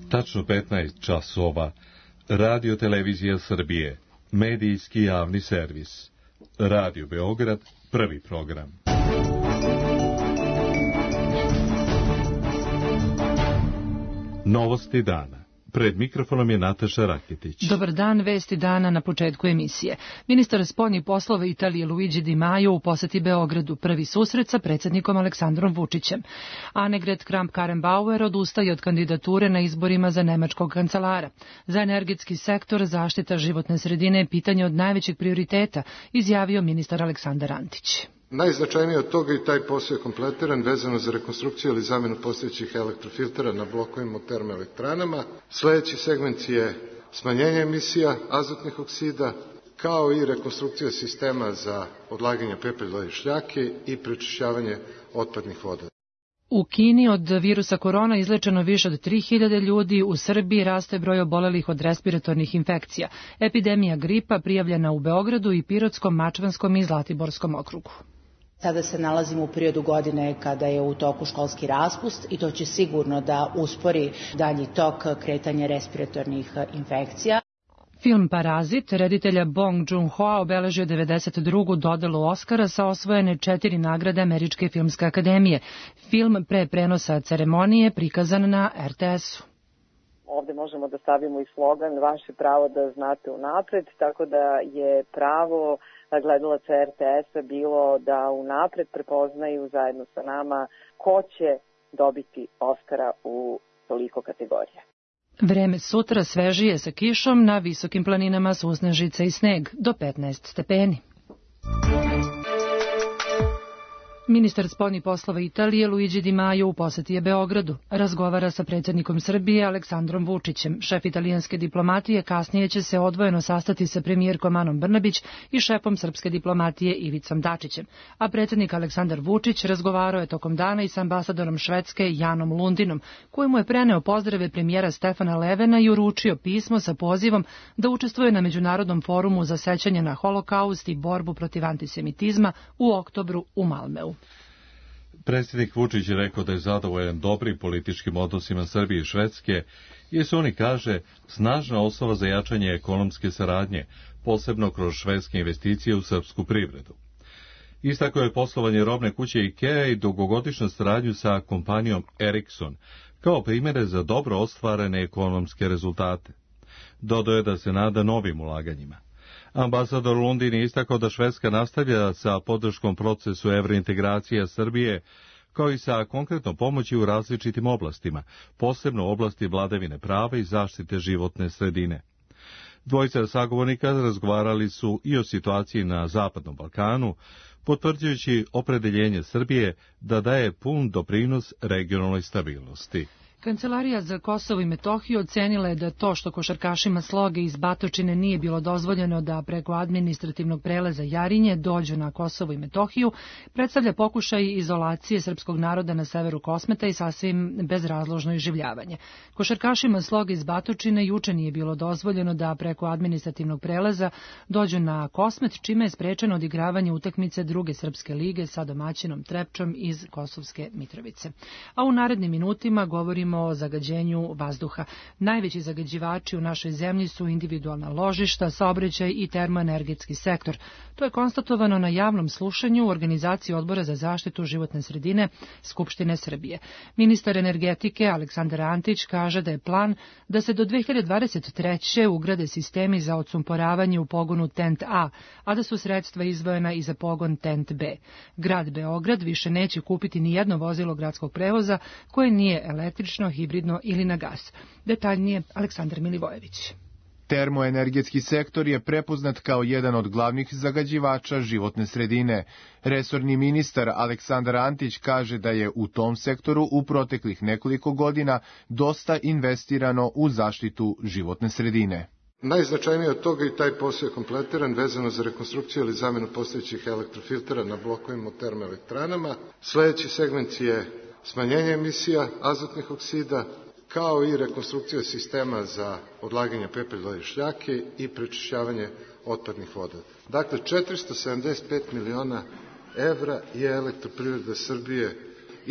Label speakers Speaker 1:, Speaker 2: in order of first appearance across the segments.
Speaker 1: Tačno 15 časova. Radio Televizija Srbije. Medijski javni servis. Radio Beograd, prvi program. Novosti dana. Pred mikrofonom je Nataša Raketić.
Speaker 2: Dobar dan, vesti dana na početku emisije. Ministar spoljnih poslova Italije Luigi Di Maio u poseti Beogradu, prvi susret sa predsjednikom Aleksandrom Vučićem. Annegret Kramp-Karrenbauer odustaje od kandidature na izborima za nemačkog kancelara. Za energetski sektor zaštita životne sredine je pitanje od najvećeg prioriteta, izjavio ministar Aleksandar Antić.
Speaker 3: Najznačajnije od toga i taj posao je kompletiran vezano za rekonstrukciju ili zamjenu postojećih elektrofiltera na blokovima u termoelektranama. Sljedeći segment je smanjenje emisija azotnih oksida, kao i rekonstrukcija sistema za odlaganje pepela i šljake i prečišćavanje otpadnih voda.
Speaker 2: U Kini od virusa korona izlečeno više od 3000 ljudi, u Srbiji raste broj obolelih od respiratornih infekcija. Epidemija gripa prijavljena u Beogradu i Pirotskom, Mačvanskom i Zlatiborskom okrugu.
Speaker 4: Sada se nalazimo u periodu godine kada je u toku školski raspust i to će sigurno da uspori dalji tok kretanja respiratornih infekcija.
Speaker 2: Film Parazit reditelja Bong Joon-hoa obeležio 92. dodelu Oskara sa osvojene 4 nagrade Američke filmske akademije. Film pre prenosa ceremonije prikazan na RTS-u.
Speaker 5: Ovde možemo da stavimo i slogan vaše pravo da znate unapred, tako da je pravo gledalaca RTS-a bilo da unapred prepoznaju zajedno sa nama ko će dobiti Oskara u toliko kategorija.
Speaker 2: Vreme sutra svežije sa kišom, na visokim planinama susnežice i sneg, do 15 stepeni. Ministar spoljnih poslova Italije Luigi Di Maio u poseti je Beogradu. Razgovara sa predsjednikom Srbije Aleksandrom Vučićem. Šef italijanske diplomatije kasnije će se odvojeno sastati sa premijerkom Anom Brnabić i šefom srpske diplomatije Ivicom Dačićem. A predsjednik Aleksandar Vučić razgovarao je tokom dana i sa ambasadorom Švedske Janom Lundinom, koji mu je preneo pozdrave premijera Stefana Levena i uručio pismo sa pozivom da učestvuje na Međunarodnom forumu za sećanje na Holokaust i borbu protiv antisemitizma u oktobru u Malmeu.
Speaker 1: Predsjednik Vučić je rekao da je zadovoljan dobrim političkim odnosima Srbije i Švedske, jer su oni, kaže, snažna osnova za jačanje ekonomske saradnje, posebno kroz švedske investicije u srpsku privredu. Istakao je poslovanje robne kuće IKEA i dugogodišnju saradnju sa kompanijom Ericsson, kao primjere za dobro ostvarene ekonomske rezultate. Dodao je da se nada novim ulaganjima. Ambasador Lundin je istakao da Švedska nastavlja sa podrškom procesu evrointegracije Srbije, kao i sa konkretnom pomoći u različitim oblastima, posebno u oblasti vladavine prava i zaštite životne sredine. Dvojica sagovornika razgovarali su i o situaciji na Zapadnom Balkanu, potvrđujući opredeljenje Srbije da daje pun doprinos regionalnoj stabilnosti.
Speaker 2: Kancelarija za Kosovo i Metohiju ocenila je da to što košarkašima Sloge iz Batočine nije bilo dozvoljeno da preko administrativnog prelaza Jarinje dođu na Kosovo i Metohiju predstavlja pokušaj izolacije srpskog naroda na severu Kosmeta i sasvim bezrazložno iživljavanje. Košarkašima Sloge iz Batočine juče nije bilo dozvoljeno da preko administrativnog prelaza dođu na Kosmet, čime je sprečeno odigravanje utakmice druge srpske lige sa domaćinom Trepčom iz Kosovske Mitrovice. A u narednim minutima govorimo o zagađenju vazduha. Najveći zagađivači u našoj zemlji su individualna ložišta, saobraćaj i termoenergetski sektor. To je konstatovano na javnom slušanju u organizaciji Odbora za zaštitu životne sredine Skupštine Srbije. Ministar energetike Aleksandar Antić kaže da je plan da se do 2023. ugrade sistemi za odsumporavanje u pogonu TENT A, a da su sredstva izdvojena i za pogon TENT B. Grad Beograd više neće kupiti ni jedno vozilo gradskog prevoza koje nije električno, hibridno ili na gas. Detaljnije Aleksandar Milivojević.
Speaker 6: Termoenergetski sektor je prepoznat kao jedan od glavnih zagađivača životne sredine. Resorni ministar Aleksandar Antić kaže da je u tom sektoru u proteklih nekoliko godina dosta investirano u zaštitu životne sredine.
Speaker 3: Najznačajnije od toga i taj posao je kompletiran vezano za rekonstrukciju ili zamjenu postojećih elektrofiltera na blokovima u termoelektranama. Sljedeći segment je smanjenje emisija azotnih oksida, kao i rekonstrukcija sistema za odlaganje pepela i šljake i prečišćavanje otpadnih voda. Dakle, 475 miliona evra je Elektroprivreda Srbije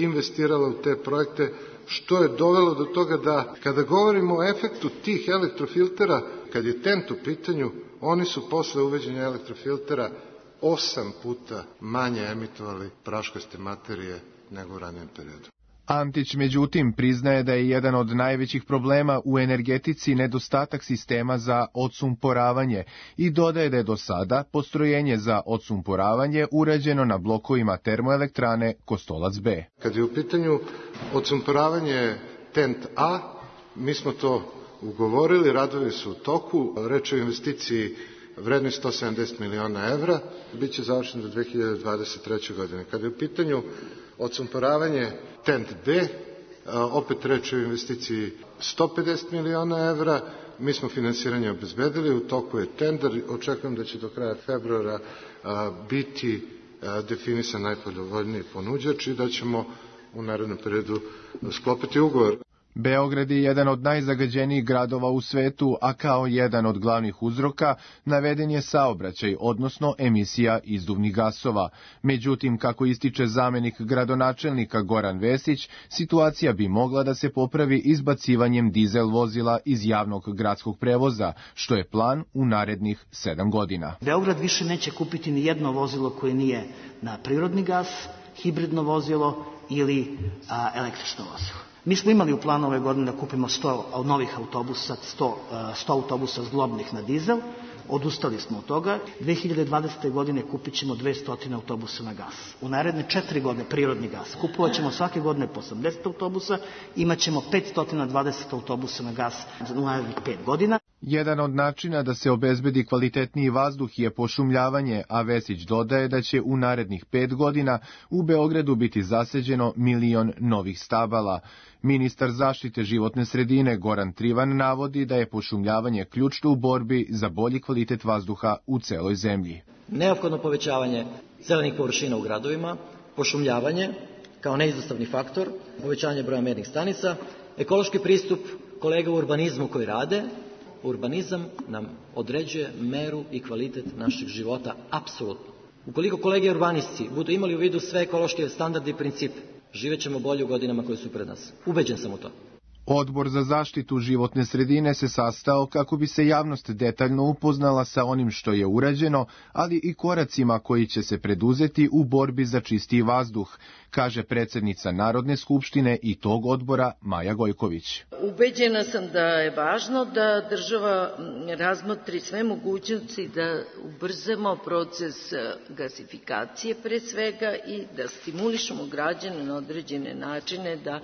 Speaker 3: investirala u te projekte, što je dovelo do toga da, kada govorimo o efektu tih elektrofiltera, kad je TENT u pitanju, oni su posle uveđenja elektrofiltera 8 puta manje emitovali praškaste materije nego u ranijem periodu.
Speaker 6: Antić, međutim, priznaje da je jedan od najvećih problema u energetici nedostatak sistema za odsumporavanje i dodaje da je do sada postrojenje za odsumporavanje urađeno na blokovima termoelektrane Kostolac B.
Speaker 3: Kad je u pitanju odsumporavanje TENT A, mi smo to ugovorili, radovi su u toku, reč o investiciji vrednoj 170 miliona evra, bit će završen do 2023. godine. Kada je u pitanju odsumporavanje TENT B, opet reč o investiciji 150 miliona evra, mi smo finansiranje obezbedili, u toku je tender, očekujem da će do kraja februara biti definisan najpovoljniji ponuđač i da ćemo u narednom periodu sklopiti ugovor.
Speaker 6: Beograd je jedan od najzagađenijih gradova u svetu, a kao jedan od glavnih uzroka naveden je saobraćaj, odnosno emisija izduvnih gasova. Međutim, kako ističe zamenik gradonačelnika Goran Vesić, situacija bi mogla da se popravi izbacivanjem dizel vozila iz javnog gradskog prevoza, što je plan u narednih 7 godina.
Speaker 7: Beograd više neće kupiti ni jedno vozilo koje nije na prirodni gas, hibridno vozilo ili električno vozilo. Mi smo imali u planu ove godine da kupimo 100 novih autobusa, 100 autobusa zglobnih na dizel, odustali smo od toga. 2020. godine kupit ćemo 200 autobusa na gas. U naredne 4 godine prirodni gas. Kupovat ćemo svake godine po 80 autobusa, imat ćemo 520 autobusa na gas za narednih 5 godina.
Speaker 6: Jedan od načina da se obezbedi kvalitetniji vazduh je pošumljavanje, a Vesić dodaje da će u narednih 5 godina u Beogradu biti zaseđeno 1 milion novih stabala. Ministar zaštite životne sredine Goran Trivan navodi da je pošumljavanje ključno u borbi za bolji kvalitet vazduha u celoj zemlji.
Speaker 8: Neophodno povećavanje zelenih površina u gradovima, pošumljavanje kao neizostavni faktor, povećanje broja mernih stanica, ekološki pristup kolega u urbanizmu koji rade. Urbanizam nam određuje meru i kvalitet našeg života, apsolutno. Ukoliko kolege urbanisti budu imali u vidu sve ekološke standarde i principe, živet ćemo bolje u godinama koje su pred nas. Ubeđen sam u to.
Speaker 6: Odbor za zaštitu životne sredine se sastao kako bi se javnost detaljno upoznala sa onim što je urađeno, ali i koracima koji će se preduzeti u borbi za čistiji vazduh, kaže predsednica Narodne skupštine i tog odbora Maja Gojković.
Speaker 9: Ubeđena sam da je važno da država razmotri sve mogućnosti da ubrzamo proces gasifikacije pre svega i da stimulišemo građane na određene načine da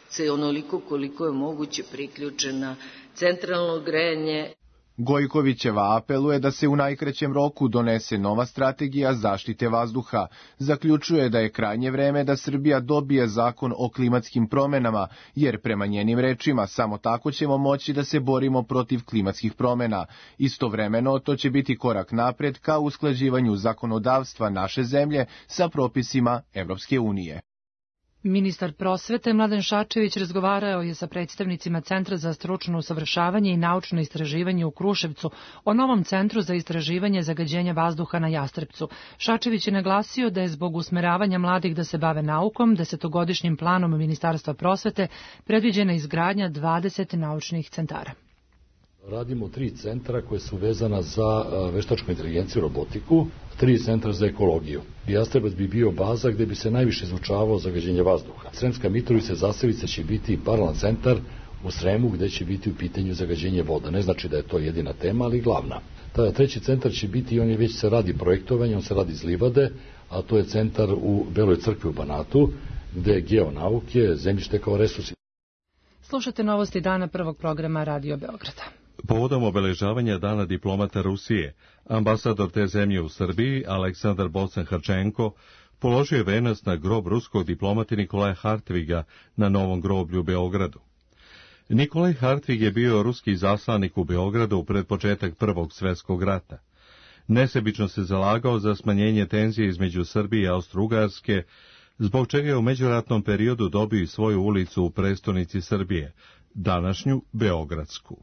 Speaker 9: se onoliko koliko je moguće priključe na centralno grejanje.
Speaker 6: Gojkovićeva apeluje da se u najkraćem roku donese nova strategija zaštite vazduha. Zaključuje da je krajnje vreme da Srbija dobije zakon o klimatskim promenama, jer prema njenim rečima samo tako ćemo moći da se borimo protiv klimatskih promena. Istovremeno to će biti korak napred ka usklađivanju zakonodavstva naše zemlje sa propisima Evropske unije.
Speaker 2: Ministar prosvete Mladen Šarčević razgovarao je sa predstavnicima Centra za stručno usavršavanje i naučno istraživanje u Kruševcu o novom centru za istraživanje zagađenja vazduha na Jastrebcu. Šarčević je naglasio da je zbog usmeravanja mladih da se bave naukom, 10-godišnjim planom Ministarstva prosvete predviđena izgradnja 20 naučnih centara.
Speaker 10: Radimo 3 centra koje su vezana za veštačku inteligenciju i robotiku, 3 centra za ekologiju. Jastrebac bi bio baza gde bi se najviše izučavao zagađenje vazduha. Sremska Mitrovica i Zasavica će biti paralelan centar u Sremu gde će biti u pitanju zagađenje voda. Ne znači da je to jedina tema, ali glavna. Treći centar će biti, on je već se radi projektovanje, on se radi iz livade, a to je centar u Beloj crkvi u Banatu, gde je geonauke, zemljište kao resursi.
Speaker 2: Slušate novosti dana prvog programa Radio Beograda.
Speaker 1: Povodom obeležavanja Dana diplomata Rusije, ambasador te zemlje u Srbiji, Aleksandar Bocan-Harčenko, položio je venac na grob ruskog diplomata Nikolaja Hartviga na Novom groblju u Beogradu. Nikolaj Hartvig je bio ruski zaslanik u Beogradu pred početak Prvog svjetskog rata. Nesebično se zalagao za smanjenje tenzije između Srbije i Austro-Ugarske, zbog čega je u međuratnom periodu dobio i svoju ulicu u prestonici Srbije, današnju Beogradsku.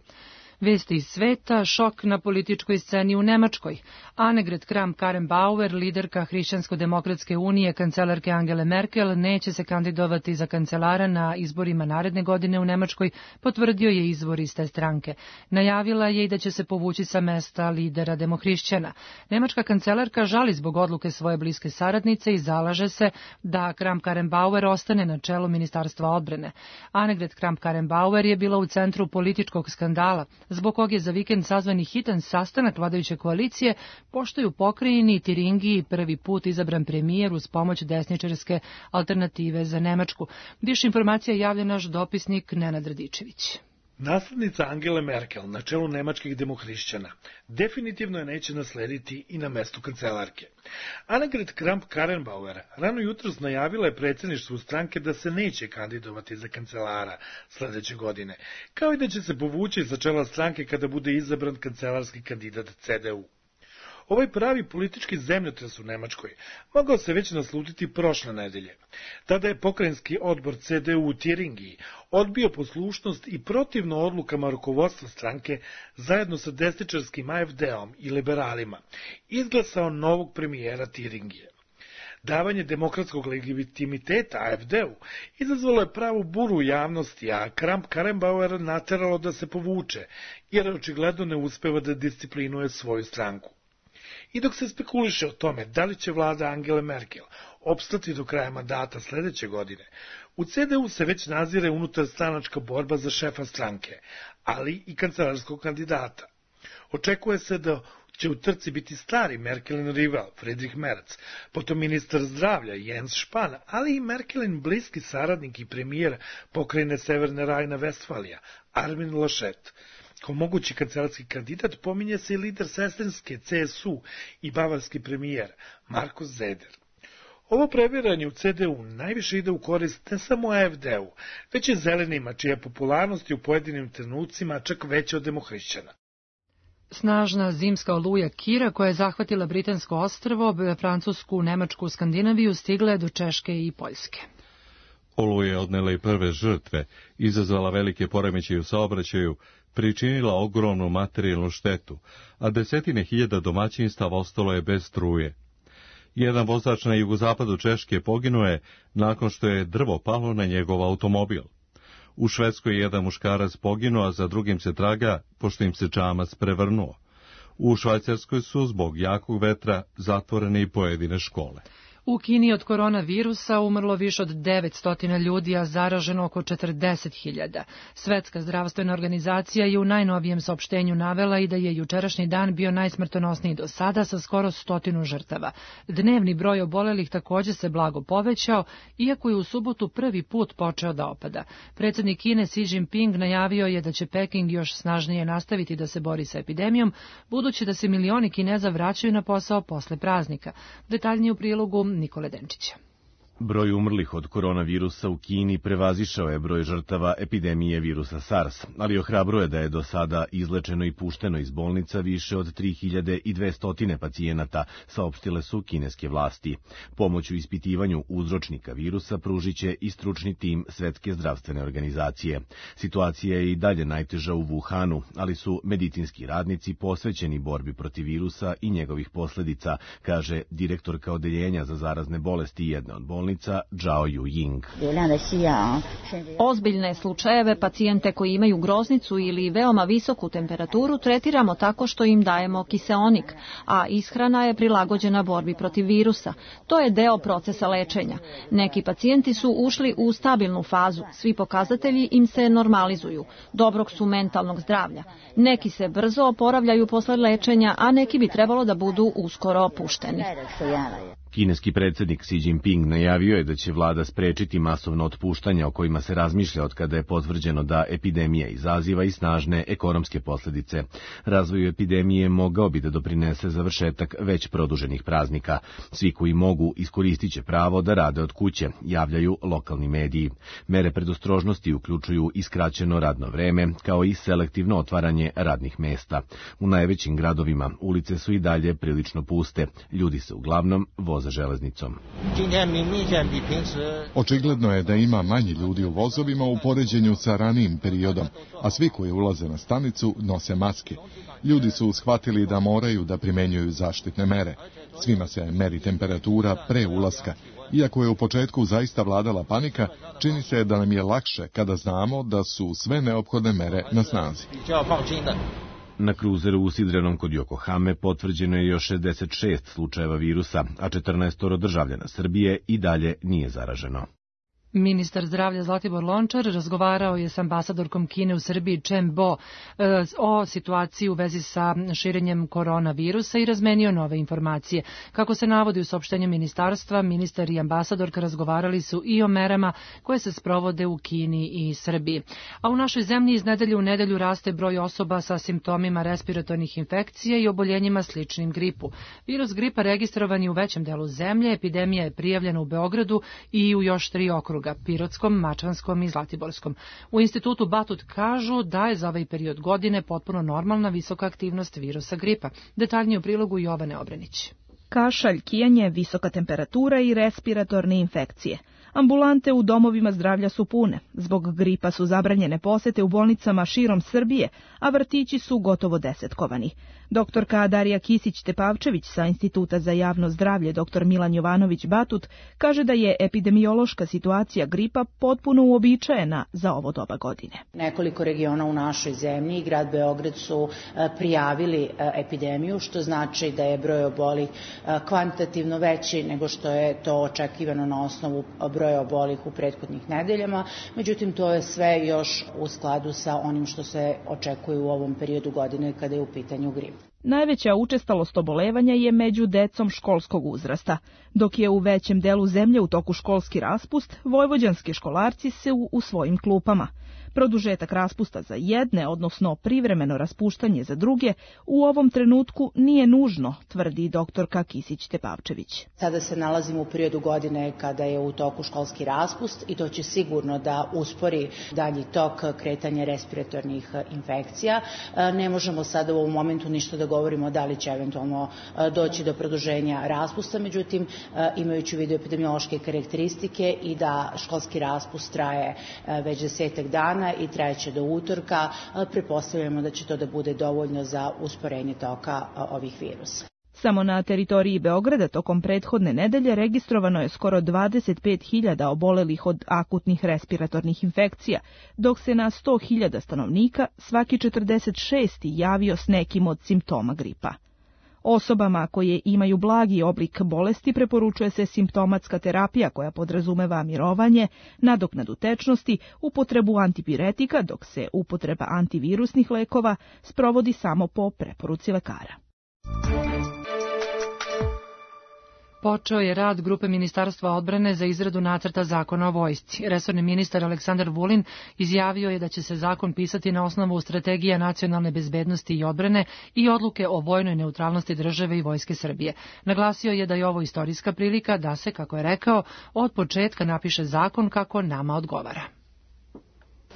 Speaker 2: Vesti iz sveta, šok na političkoj sceni u Nemačkoj. Annegret Kramp-Karrenbauer, liderka Hrišćansko-demokratske unije, kancelarke Angele Merkel, neće se kandidovati za kancelara na izborima naredne godine u Nemačkoj, potvrdio je izvor iz te stranke. Najavila je i da će se povući sa mesta lidera demohrišćana. Nemačka kancelarka žali zbog odluke svoje bliske saradnice i zalaže se da Kramp-Karrenbauer ostane na čelu Ministarstva odbrane. Annegret Kramp-Karrenbauer je bila u centru političkog skandala, zbog kog je za vikend sazvani hitan sastanak vladajuće koalicije, pošto je u pokrajini Tiringiji prvi put izabran premijer uz pomoć desničarske alternative za Nemačku. Više informacija javlja naš dopisnik Nenad Radičević.
Speaker 11: Naslednica Angele Merkel na čelu nemačkih demohrišćana definitivno je neće naslediti i na mestu kancelarke. Annegret Kramp-Karrenbauer rano jutros najavila je predsjedništvu stranke da se neće kandidovati za kancelara sledeće godine, kao i da će se povući sa čela stranke kada bude izabran kancelarski kandidat CDU. Ovaj pravi politički zemljotres u Nemačkoj mogao se već naslutiti prošle nedelje. Tada je pokrajinski odbor CDU u Tiringiji odbio poslušnost i protivno odlukama rukovodstva stranke zajedno sa desničarskim AfD-om i liberalima izglasao novog premijera Tiringije. Davanje demokratskog legitimiteta AfD-u izazvalo je pravu buru u javnosti, a Kramp-Karrenbauer nateralo da se povuče, jer očigledno ne uspeva da disciplinuje svoju stranku. I dok se spekuliše o tome da li će vlada Angele Merkel opstati do kraja mandata sledeće godine, u CDU se već nazire unutarstranačka borba za šefa stranke, ali i kancelarskog kandidata. Očekuje se da će u trci biti stari Merkelin rival Friedrich Merz, potom ministar zdravlja Jens Spahn, ali i Merkelin bliski saradnik i premijer pokrajine Severne Rajna-Vestfalija Armin Laschet. Kao mogući kancelarski kandidat pominje se i lider sestrinske CSU i bavarski premijer Markus Söder. Ovo previranje u CDU najviše ide u korist ne samo AfD-u, već i zelenima, čija popularnost je u pojedinim trenucima čak veća od demohrišćana.
Speaker 2: Snažna zimska oluja Kira, koja je zahvatila britansko ostrvo, Francusku, Nemačku, Skandinaviju, stigla je do Češke i Poljske.
Speaker 1: Oluja je odnela i prve žrtve, izazvala velike poremećaje u saobraćaju, pričinila ogromnu materijalnu štetu, a desetine hiljada domaćinstava ostalo je bez struje. Jedan vozač na jugozapadu Češke poginuo je nakon što je drvo palo na njegov automobil. U Švedskoj je jedan muškarac poginuo, a za drugim se traga, pošto im se čamac prevrnuo. U Švajcarskoj su zbog jakog vetra zatvorene i pojedine škole.
Speaker 2: U Kini od koronavirusa umrlo više od 900 ljudi, a zaraženo oko 40.000. Svetska zdravstvena organizacija je u najnovijem saopštenju navela i da je jučerašnji dan bio najsmrtonosniji do sada sa skoro 100 žrtava. Dnevni broj obolelih također se blago povećao, iako je u subotu prvi put počeo da opada. Predsjednik Kine Xi Jinping najavio je da će Peking još snažnije nastaviti da se bori sa epidemijom, budući da se milioni Kineza vraćaju na posao posle praznika. Detaljnije u prilogu Nikole Denčića.
Speaker 12: Broj umrlih od koronavirusa u Kini prevazišao je broj žrtava epidemije virusa SARS, ali ohrabruje da je do sada izlečeno i pušteno iz bolnica više od 3200 pacijenata, saopštile su kineske vlasti. Pomoć u ispitivanju uzročnika virusa pružit će i stručni tim Svetske zdravstvene organizacije. Situacija je i dalje najteža u Wuhanu, ali su medicinski radnici posvećeni borbi protiv virusa i njegovih posledica, kaže direktorka odeljenja za zarazne bolesti jedne od bolnica Zhao Yuying.
Speaker 13: Ozbiljne slučajeve, pacijente koji imaju groznicu ili veoma visoku temperaturu tretiramo tako što im dajemo kiseonik, a ishrana je prilagođena borbi protiv virusa. To je deo procesa lečenja. Neki pacijenti su ušli u stabilnu fazu, svi pokazatelji im se normalizuju, dobrog su mentalnog zdravlja. Neki se brzo oporavljaju posle lečenja, a neki bi trebalo da budu uskoro opušteni.
Speaker 12: Kineski predsjednik Xi Jinping najavio je da će vlada sprečiti masovno otpuštanja o kojima se razmišlja od kada je potvrđeno da epidemija izaziva i snažne ekonomske posljedice. Razvoju epidemije mogao bi da doprinese završetak već produženih praznika. Svi koji mogu iskoristit će pravo da rade od kuće, javljaju lokalni mediji. Mere predostrožnosti uključuju i skraćeno radno vreme, kao i selektivno otvaranje radnih mesta. U najvećim gradovima ulice su i dalje prilično puste. Ljudi se uglavnom voze voze železnicom.
Speaker 14: Očigledno je da ima manje ljudi u vozovima u poređenju sa ranijim periodom, a svi koji ulaze na stanicu nose maske. Ljudi su shvatili da moraju da primenjuju zaštitne mere. Svima se meri temperatura pre ulaska. Iako je u početku zaista vladala panika, čini se da nam je lakše kada znamo da su sve neophodne mere na snazi.
Speaker 12: Na kruzeru u Sidrenom kod Yokohame potvrđeno je još 66 slučajeva virusa, a 14 državljana Srbije i dalje nije zaraženo.
Speaker 2: Ministar zdravlja Zlatibor Lončar razgovarao je s ambasadorkom Kine u Srbiji Chen Bo o situaciji u vezi sa širenjem koronavirusa i razmenio nove informacije. Kako se navodi u saopštenju ministarstva, ministar i ambasadorka razgovarali su i o merama koje se sprovode u Kini i Srbiji. A u našoj zemlji iz nedelje u nedelju raste broj osoba sa simptomima respiratornih infekcija i oboljenjima sličnim gripu. Virus gripa registrovan je u većem delu zemlje, epidemija je prijavljena u Beogradu i u još 3 okruga. Pirotskom, Mačvanskom i Zlatiborskom. U institutu Batut kažu da je za ovaj period godine potpuno normalna visoka aktivnost virusa gripa. Detaljnije u prilogu Jovane Obrenić.
Speaker 15: Kašalj, kijanje, visoka temperatura i respiratorne infekcije. Ambulante u domovima zdravlja su pune. Zbog gripa su zabranjene posete u bolnicama širom Srbije, a vrtići su gotovo desetkovani. Doktorka Darija Kisić-Tepavčević sa Instituta za javno zdravlje dr. Milan Jovanović Batut kaže da je epidemiološka situacija gripa potpuno uobičajena za ovo doba godine.
Speaker 4: Nekoliko regiona u našoj zemlji i grad Beograd su prijavili epidemiju, što znači da je broj obolih kvantitativno veći nego što je to očekivano na osnovu broja obolih u prethodnih nedeljama. Međutim, to je sve još u skladu sa onim što se očekuje u ovom periodu godine kada je u pitanju grip.
Speaker 15: Najveća učestalost obolevanja je među decom školskog uzrasta. Dok je u većem delu zemlje u toku školski raspust, vojvođanski školarci su u svojim klupama. Produžetak raspusta za jedne, odnosno privremeno raspuštanje za druge, u ovom trenutku nije nužno, tvrdi doktorka Kisić-Tepavčević.
Speaker 4: Sada se nalazimo u periodu godine kada je u toku školski raspust i to će sigurno da uspori dalji tok kretanja respiratornih infekcija. Ne možemo sada u ovom momentu ništa da govorimo da li će eventualno doći do produženja raspusta, međutim imajući u vidu epidemiološke karakteristike i da školski raspust traje već 10 dana i trajeće do utorka, pretpostavljamo da će to da bude dovoljno za usporenje toka ovih virusa.
Speaker 15: Samo na teritoriji Beograda tokom prethodne nedelje registrovano je skoro 25.000 obolelih od akutnih respiratornih infekcija, dok se na 100.000 stanovnika svaki 46. javio s nekim od simptoma gripa. Osobama koje imaju blagi oblik bolesti preporučuje se simptomatska terapija koja podrazumeva mirovanje, nadoknadu tečnosti, upotrebu antipiretika, dok se upotreba antivirusnih lekova sprovodi samo po preporuci lekara.
Speaker 2: Počeo je rad grupe Ministarstva odbrane za izradu nacrta zakona o vojsci. Resorni ministar Aleksandar Vulin izjavio je da će se zakon pisati na osnovu strategija nacionalne bezbednosti i odbrane i odluke o vojnoj neutralnosti države i Vojske Srbije. Naglasio je da je ovo istorijska prilika da se, kako je rekao, od početka napiše zakon kako nama odgovara.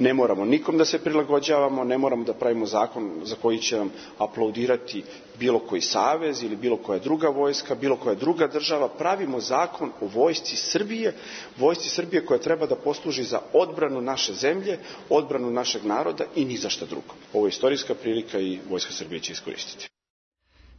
Speaker 16: Ne moramo nikom da se prilagođavamo, ne moramo da pravimo zakon za koji će nam aplaudirati bilo koji savez ili bilo koja druga vojska, bilo koja druga država. Pravimo zakon o vojsci Srbije koja treba da posluži za odbranu naše zemlje, odbranu našeg naroda i ni za šta drugo. Ovo je istorijska prilika i Vojska Srbije će iskoristiti.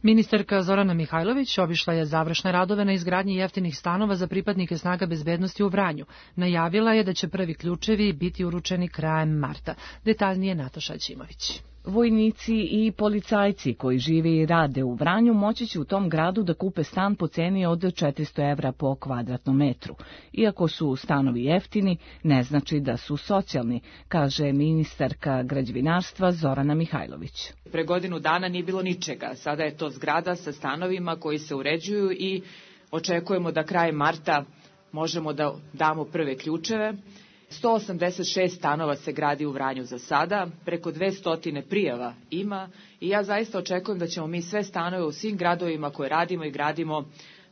Speaker 2: Ministarka Zorana Mihajlović obišla je završne radove na izgradnji jeftinih stanova za pripadnike snaga bezbednosti u Vranju. Najavila je da će prvi ključevi biti uručeni krajem marta. Detaljnije Nataša Ćimović.
Speaker 17: Vojnici i policajci koji žive i rade u Vranju moći će u tom gradu da kupe stan po ceni od 400 evra po kvadratnom metru. Iako su stanovi jeftini, ne znači da su socijalni, kaže ministarka građevinarstva Zorana Mihajlović.
Speaker 18: Pre godinu dana nije bilo ničega. Sada je to zgrada sa stanovima koji se uređuju i očekujemo da krajem marta možemo da damo prve ključeve. 186 stanova se gradi u Vranju za sada, preko 200 prijava ima i ja zaista očekujem da ćemo mi sve stanove u svim gradovima koje radimo i gradimo,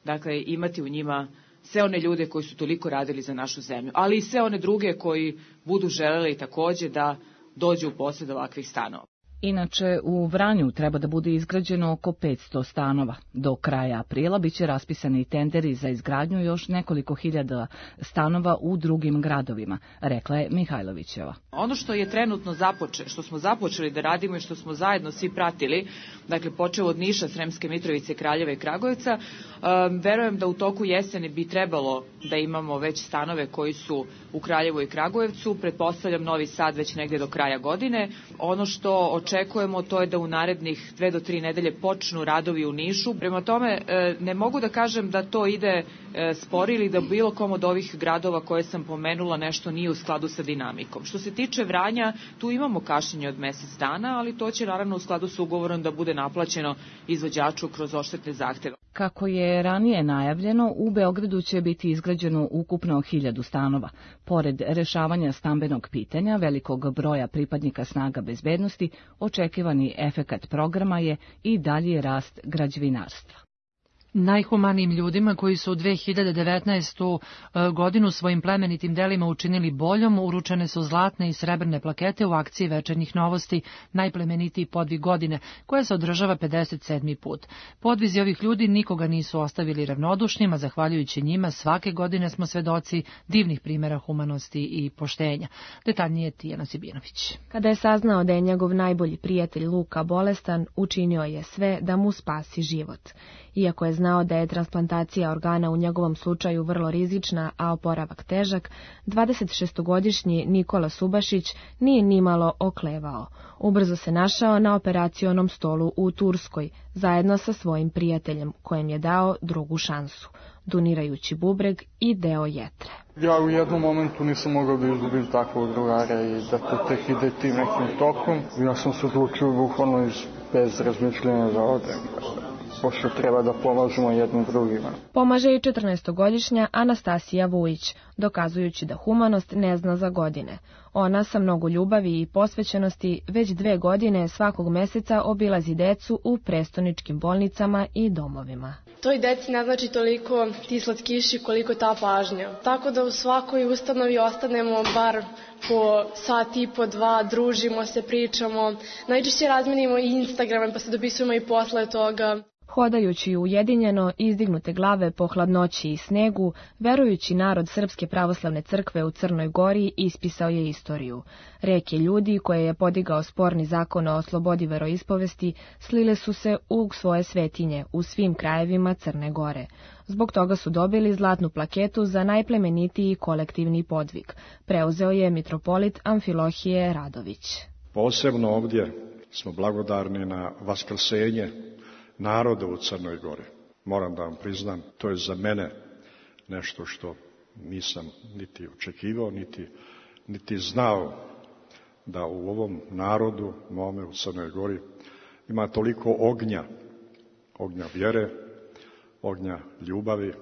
Speaker 18: dakle imati u njima sve one ljude koji su toliko radili za našu zemlju, ali i sve one druge koji budu želeli takođe da dođu u posjed ovakvih stanova.
Speaker 17: Inače, u Vranju treba da bude izgrađeno oko 500 stanova. Do kraja aprila biće raspisani tenderi za izgradnju još nekoliko hiljada stanova u drugim gradovima, rekla je Mihajlovićeva.
Speaker 18: Ono što je trenutno što smo započeli da radimo i što smo zajedno svi pratili, dakle počeo od Niša, Sremske Mitrovice, Kraljeva i Kragujevca, verujem da u toku jeseni bi trebalo da imamo već stanove koji su u Kraljevu i Kragujevcu, pretpostavljam Novi Sad već negde do kraja godine. Ono što očekujemo to je da u narednih 2 do 3 nedelje počnu radovi u Nišu. Prema tome ne mogu da kažem da to ide spori ili da bilo kom od ovih gradova koje sam pomenula nešto nije u skladu sa dinamikom. Što se tiče Vranja, tu imamo kašnjenje od mesec dana, ali to će naravno u skladu sa ugovorom da bude naplaćeno izvođaču kroz odštetne zahteve.
Speaker 17: Kako je ranije najavljeno, u Beogradu će biti izgrađeno ukupno 1000 stanova. Pored rešavanja stambenog pitanja, velikog broja pripadnika snaga bezbednosti, očekivani efekat programa je i dalji rast građevinarstva.
Speaker 2: Najhumanijim ljudima koji su u 2019. godinu svojim plemenitim delima učinili boljom, uručene su zlatne i srebrne plakete u akciji Večernjih novosti Najplemenitiji podvig godine, koja se održava 57. put. Podvizi ovih ljudi nikoga nisu ostavili ravnodušnim, a zahvaljujući njima svake godine smo svedoci divnih primjera humanosti i poštenja. Detaljnije Tijana Sibinović.
Speaker 19: Kada je saznao da je njegov najbolji prijatelj Luka bolestan, učinio je sve da mu spasi život. Iako je znao da je transplantacija organa u njegovom slučaju vrlo rizična, a oporavak težak, 26-godišnji Nikola Subašić nije nimalo oklevao. Ubrzo se našao na operacionom stolu u Turskoj, zajedno sa svojim prijateljem, kojem je dao drugu šansu, donirajući bubreg i deo jetre.
Speaker 20: Ja u jednom momentu nisam mogao da izgubim takvog drugara i da to tek ide tim nekim tokom. Ja sam se odlučio bukvalno bez razmišljanja da odem. Pošto treba da pomažemo jednim drugima.
Speaker 19: Pomaže i 14-godišnja Anastasija Vujić, dokazujući da humanost ne zna za godine. Ona sa mnogo ljubavi i posvećenosti već 2 godine svakog meseca obilazi decu u prestoničkim bolnicama i domovima.
Speaker 21: Toj deci ne znači toliko ti slatkiši koliko ta pažnja. Tako da u svakoj ustanovi ostanemo bar po sat i po 2, družimo se, pričamo. Najčešće razmenimo i Instagrame pa se dopisujemo i posle toga.
Speaker 19: Hodajući ujedinjeno, izdignute glave po hladnoći i snegu, verujući narod Srpske pravoslavne crkve u Crnoj Gori ispisao je istoriju. Reke ljudi koje je podigao sporni zakon o slobodi veroispovesti slile su se u svoje svetinje u svim krajevima Crne Gore. Zbog toga su dobili zlatnu plaketu za najplemenitiji kolektivni podvig. Preuzeo je mitropolit Amfilohije Radović.
Speaker 22: Posebno ovdje smo blagodarni na vaskrsenje naroda u Crnoj Gori. Moram da vam priznam, to je za mene nešto što nisam niti očekivao, niti znao da u ovom narodu, mome u Crnoj Gori, ima toliko ognja vjere, ognja ljubavi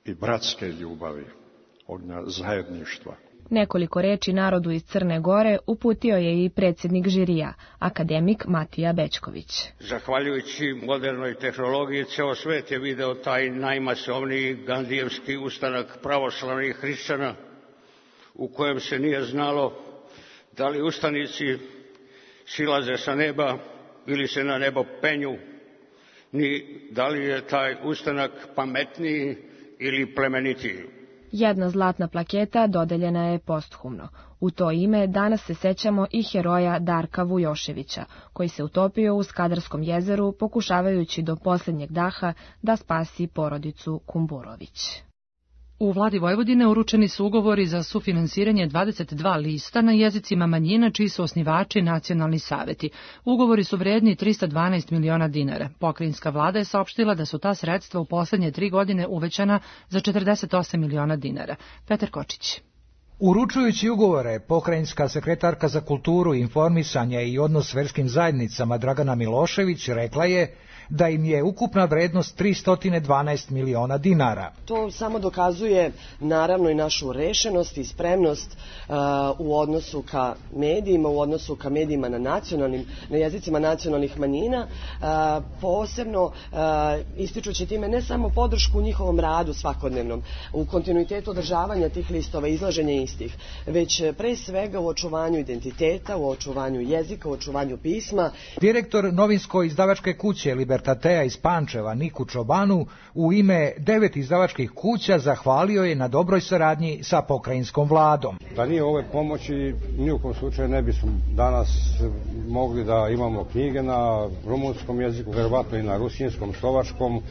Speaker 22: i bratske ljubavi, ognja zajedništva.
Speaker 19: Nekoliko reči narodu iz Crne Gore uputio je i predsjednik žirija, akademik Matija Bećković.
Speaker 23: Zahvaljujući modernoj tehnologiji, ceo svet je video taj najmasovniji gandijevski ustanak pravoslavnih hrišćana, u kojem se nije znalo da li ustanici silaze sa neba ili se na nebo penju, ni da li je taj ustanak pametniji ili plemenitiji.
Speaker 19: Jedna zlatna plaketa dodeljena je posthumno. U to ime danas se sećamo i heroja Darka Vujoševića, koji se utopio u Skadarskom jezeru pokušavajući do posljednjeg daha da spasi porodicu Kumburović.
Speaker 2: U vladi Vojvodine uručeni su ugovori za sufinansiranje 22 lista na jezicima manjina čiji su osnivači nacionalni saveti. Ugovori su vredni 312 miliona dinara. Pokrajinska vlada je saopštila da su ta sredstva u poslednje 3 godine uvećana za 48 miliona dinara. Petar Kočić.
Speaker 24: Uručujući ugovore, pokrajinska sekretarka za kulturu, informisanje i odnos s verskim zajednicama Dragana Milošević rekla je da im je ukupna vrednost 312 miliona dinara.
Speaker 25: To samo dokazuje naravno i našu rešenost i spremnost u odnosu ka medijima, u odnosu ka medijima na jezicima nacionalnih manjina, posebno ističući time ne samo podršku u njihovom radu svakodnevnom, u kontinuitetu održavanja tih listova, izlaženja istih, već pre svega u očuvanju identiteta, u očuvanju jezika, u očuvanju pisma.
Speaker 24: Direktor novinsko-izdavačke kuće Libertatea iz Pančeva, Niku Čobanu, u ime 9 izdavačkih kuća zahvalio je na dobroj saradnji sa pokrajinskom vladom.
Speaker 3: Da nije ove pomoći, ni u kom slučaju ne bismo danas mogli da imamo knjige na rumunskom jeziku, verovatno i na rusinskom, slovačkom,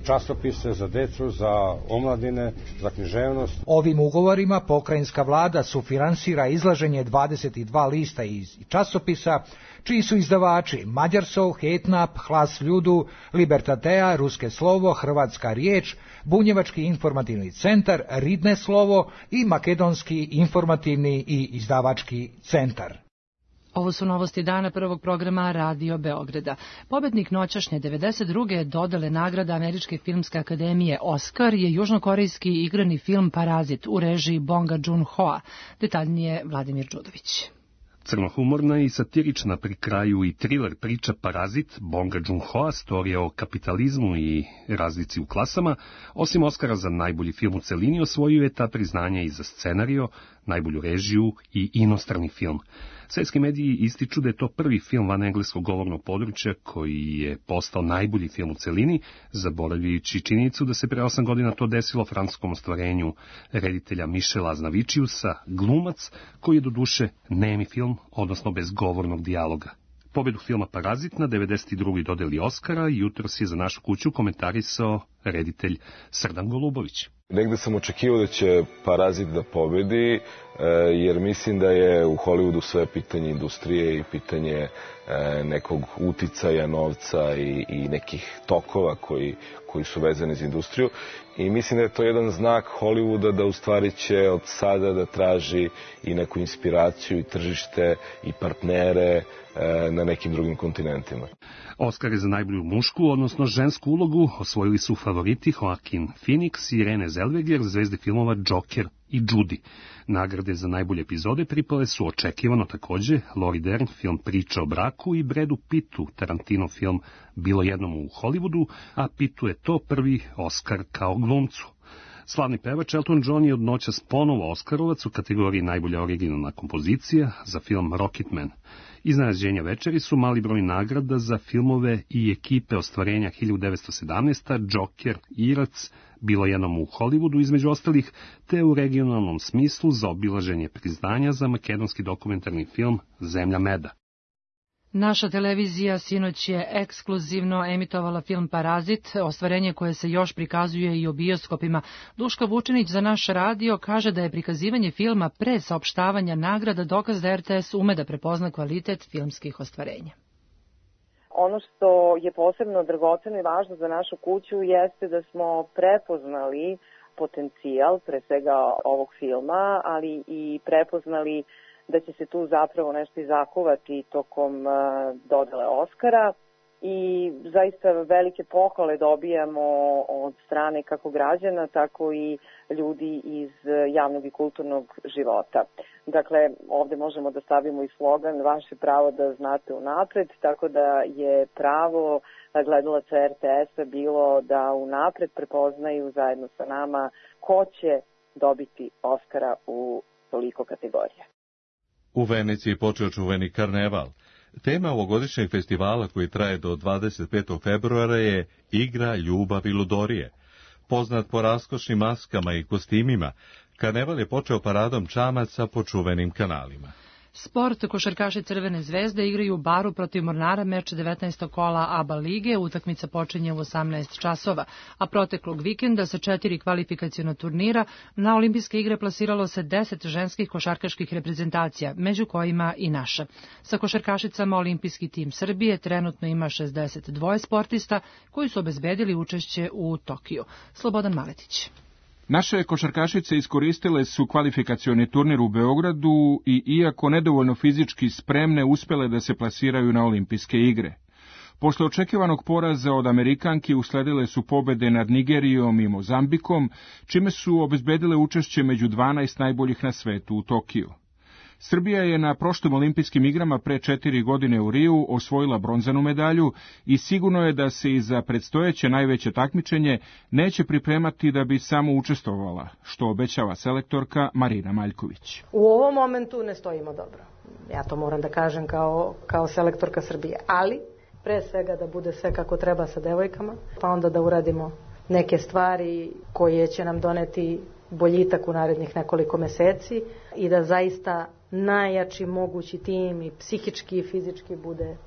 Speaker 3: časopise za decu, za omladine, za književnost.
Speaker 24: Ovim ugovorima pokrajinska vlada sufinansira izlaženje 22 lista iz časopisa, čiji su izdavači Mađarsov, Hetnap, Hlas Ljudu, Libertatea, Ruske slovo, Hrvatska riječ, Bunjevački informativni centar, Ridne slovo i Makedonski informativni i izdavački centar.
Speaker 2: Ovo su novosti dana prvog programa Radio Beograda. Pobednik noćašnje 92. dodele nagrada Američke filmske akademije Oscar je južnokorejski igrani film Parazit u režiji Bonga Joon-hoa. Detaljnije Vladimir Đudović.
Speaker 5: Crnohumorna i satirična pri kraju i thriller priča Parazit Bonga Joon-hoa, storija o kapitalizmu i razlici u klasama, osim Oscara za najbolji film u celini, osvojio je ta priznanja i za scenario, najbolju režiju i inostrani film. Svetski mediji ističu da je to prvi film van engleskog govornog područja koji je postao najbolji film u celini, zaboravljajući činjenicu da se pre 8 godina to desilo francuskom ostvarenju reditelja Michela Aznavičiusa, Glumac, koji je doduše nemi film, odnosno bez govornog dijaloga. Pobedu filma Parazit na 92. dodeli Oscara jutros je za našu kuću komentarisao reditelj Srdan Golubović.
Speaker 7: Negde sam očekivao da će Parazit da pobedi, jer mislim da je u Hollywoodu sve pitanje industrije i pitanje nekog uticaja, novca i nekih tokova koji su vezani za industriju. I mislim da je to jedan znak Hollywooda da u stvari će od sada da traži i neku inspiraciju i tržište i partnere na nekim drugim kontinentima.
Speaker 5: Oscar je za najbolju mušku, odnosno žensku ulogu, osvojili su favoriti Joaquin Phoenix i Renée Zellweger, zvezde filmova Joker i Judy. Nagrade za najbolje epizode pripale su očekivano takođe Lauri Dern, film Priča o braku, i Bradu Pittu, Tarantino film Bilo jednom u Hollywoodu, a Pittu je to prvi Oscar kao glumcu. Slavni pevač Elton John je od noćas ponovo Oskarovac u kategoriji najbolja originalna kompozicija za film Rocketman. Iznenađenja večeri su mali broj nagrada za filmove i ekipe ostvarenja 1917, Joker, Irac, Bilo jednom u Hollywoodu između ostalih, te u regionalnom smislu za obilaženje priznanja za makedonski dokumentarni film Zemlja meda.
Speaker 2: Naša televizija sinoć je ekskluzivno emitovala film Parazit, ostvarenje koje se još prikazuje i u bioskopima. Duška Vučinić za naš radio kaže da je prikazivanje filma pre saopštavanja nagrada dokaz da RTS ume da prepozna kvalitet filmskih ostvarenja.
Speaker 8: Ono što je posebno dragoceno i važno za našu kuću jeste da smo prepoznali potencijal, pre svega ovog filma, ali i prepoznali da će se tu zapravo nešto izakuvati tokom dodele Oskara i zaista velike pohvale dobijamo od strane kako građana, tako i ljudi iz javnog i kulturnog života. Dakle, ovde možemo da stavimo i slogan vaše pravo da znate unapred, tako da je pravo gledalaca RTS-a bilo da unapred prepoznaju zajedno sa nama ko će dobiti Oskara u toliko kategorija.
Speaker 1: U Veneciji počeo čuveni karneval. Tema ovogodišnjeg festivala koji traje do 25. februara je Igra, ljubav i ludorije. Poznat po raskošnim maskama i kostimima, karneval je počeo paradom čamaca po čuvenim kanalima.
Speaker 2: Sport, košarkaši Crvene zvezde igraju u Baru protiv Mornara meč 19. kola ABA lige, utakmica počinje u 18 časova, a proteklog vikenda sa 4 kvalifikaciona turnira na olimpijske igre plasiralo se 10 ženskih košarkaških reprezentacija, među kojima i naša. Sa košarkašicama olimpijski tim Srbije trenutno ima 62 sportista koji su obezbedili učešće u Tokiju. Slobodan Maletić.
Speaker 9: Naše košarkašice iskoristile su kvalifikacioni turnir u Beogradu i iako nedovoljno fizički spremne uspele da se plasiraju na olimpijske igre. Posle očekivanog poraza od Amerikanki usledile su pobede nad Nigerijom i Mozambikom, čime su obezbedile učešće među 12 najboljih na svetu u Tokiju. Srbija je na prošlim olimpijskim igrama pre 4 godine u Riju osvojila bronzanu medalju i sigurno je da se i za predstojeće najveće takmičenje neće pripremati da bi samo učestvovala, što obećava selektorka Marina Maljković.
Speaker 6: U ovom momentu ne stojimo dobro. Ja to moram da kažem kao selektorka Srbije, ali pre svega da bude sve kako treba sa devojkama, pa onda da uradimo neke stvari koje će nam doneti boljitak u narednih nekoliko meseci i da zaista najjači mogući tim i psihički i fizički bude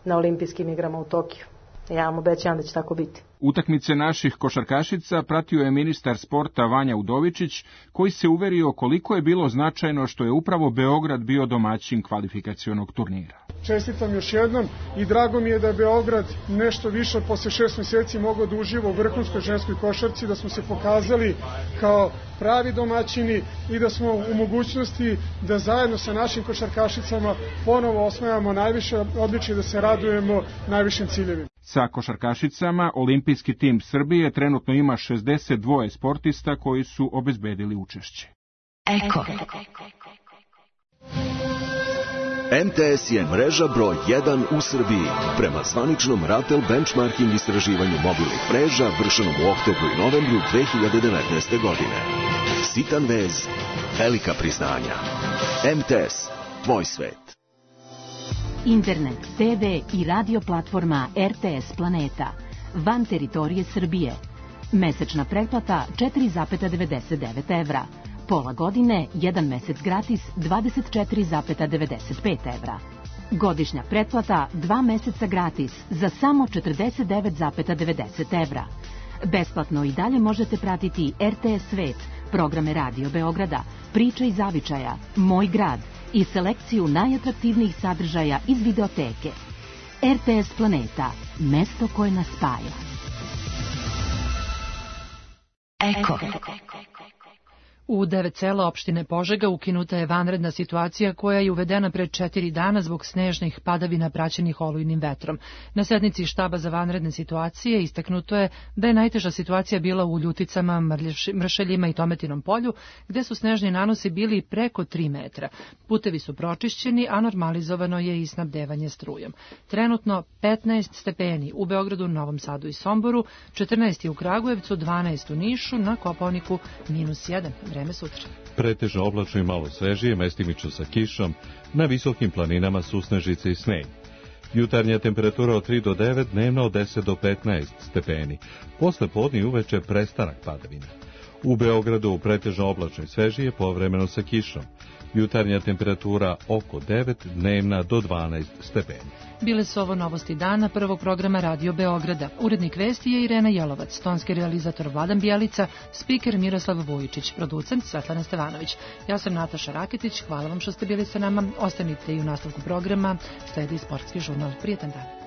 Speaker 6: na olimpijskim igrama u Tokiju. Ja vam obećavam da će tako biti.
Speaker 9: Utakmice naših košarkašica pratio je ministar sporta Vanja Udovičić, koji se uverio koliko je bilo značajno što je upravo Beograd bio domaćin kvalifikacionog turnira.
Speaker 10: Čestitam još jednom i drago mi je da je Beograd nešto više posle 6 meseci mogao da uživa u vrhunskoj ženskoj košarci, da smo se pokazali kao pravi domaćini i da smo u mogućnosti da zajedno sa našim košarkašicama ponovo osvajamo najviše odličje, da se radujemo najvišim ciljevima.
Speaker 9: Sa košarkašicama olimpijski tim Srbije trenutno ima 62 sportista koji su obezbedili učešće.
Speaker 11: Eko. MTS je mreža broj 1 u Srbiji. Prema zvaničnom Ratel benchmarking istraživanju mobilnih mreža vršenom u oktobru i novembru 2019. godine. Sitan vez, velika priznanja. MTS, tvoj svet.
Speaker 13: Internet, TV i radio platforma RTS Planeta. Van teritorije Srbije. Mesečna pretplata 4,99 evra. Pola godine, 1 mesec gratis, 24,95 evra. Godišnja pretplata, 2 meseca gratis, za samo 49,90 evra. Besplatno i dalje možete pratiti RTS Svet, programe Radio Beograda, Priče iz zavičaja, Moj grad i selekciju najatraktivnijih sadržaja iz videoteke. RTS Planeta, mesto koje nas spaja.
Speaker 11: Eko.
Speaker 2: U 9 sela opštine Požega ukinuta je vanredna situacija koja je uvedena pre 4 dana zbog snežnih padavina praćenih olujnim vetrom. Na sednici štaba za vanredne situacije istaknuto je da je najteža situacija bila u Ljuticama, Mršeljima i Tometinom polju, gde su snežni nanosi bili preko 3 metra. Putevi su pročišćeni, a normalizovano je i snabdevanje strujom. Trenutno 15 stepeni u Beogradu, Novom Sadu i Somboru, 14 u Kragujevcu, 12 u Nišu, na Kopaoniku -1. Vreme sutra.
Speaker 1: Pretežno oblačno i malo svežije, mestimično sa kišom, na visokim planinama susnežice i sneg. Jutarnja temperatura od 3 do 9, dnevna od 10 do 15 stepeni. Posle podne i uveče prestanak padavina. U Beogradu pretežno oblačno i svežije, povremeno sa kišom. Jutarnja temperatura oko 9, dnevna do 12 stepeni.
Speaker 2: Bile su ovo novosti dana prvog programa Radio Beograda. Urednik vesti je Irena Jelovac, tonski realizator Vladan Bijelica, spiker Miroslav Vujičić, producent Svetlana Stevanović. Ja sam Nataša Raketić, hvala vam što ste bili sa nama. Ostanite i u nastavku programa, sledi sportski žurnal. Prijetan dan.